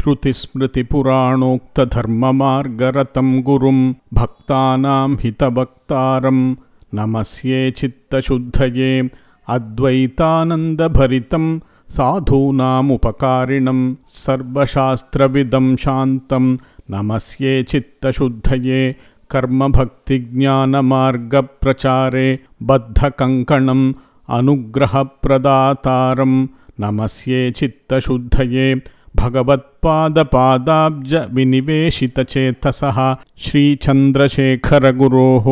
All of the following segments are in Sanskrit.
श्रुतिस्मृतिपुराणोक्तधर्ममार्गरतं गुरुं भक्तानां हितवक्तारं नमस्ये चित्तशुद्धये अद्वैतानन्दभरितं साधूनामुपकारिणं सर्वशास्त्रविदं शान्तं नमस्ये चित्तशुद्धये कर्मभक्तिज्ञानमार्गप्रचारे बद्धकङ्कणम् अनुग्रहप्रदातारं नमस्ये चित्तशुद्धये भगवत्पादपादाब्जविनिवेशितचेतसः श्रीचन्द्रशेखरगुरोः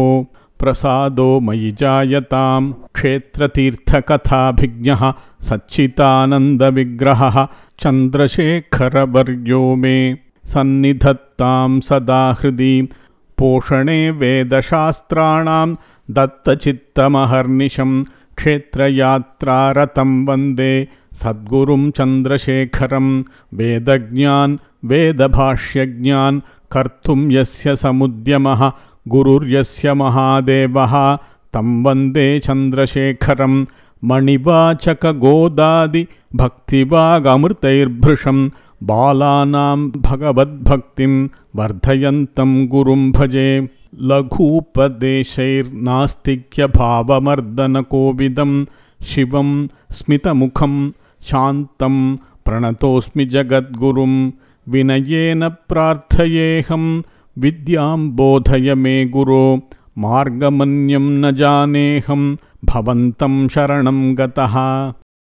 प्रसादो मयि जायतां क्षेत्रतीर्थकथाभिज्ञः सच्चिदानन्दविग्रहः चन्द्रशेखरवर्यो मे सन्निधत्तां सदा हृदि पोषणे वेदशास्त्राणां दत्तचित्तमहर्निशं क्षेत्रयात्रारतं वन्दे सद्गुरुं चन्द्रशेखरं वेदज्ञान् वेदभाष्यज्ञान् कर्तुं यस्य समुद्यमः गुरुर्यस्य महादेवः तं वन्दे चन्द्रशेखरं मणिवाचकगोदादिभक्तिवागमृतैर्भृशं बालानां भगवद्भक्तिं वर्धयन्तं गुरुं भजे लघूपदेशैर्नास्तिक्यभावमर्दनकोविदं शिवं स्मितमुखं शान्तं प्रणतोऽस्मि जगद्गुरुं विनयेन प्रार्थयेऽहं विद्यां बोधय मे गुरो मार्गमन्यं न जानेऽहं भवन्तं शरणं गतः।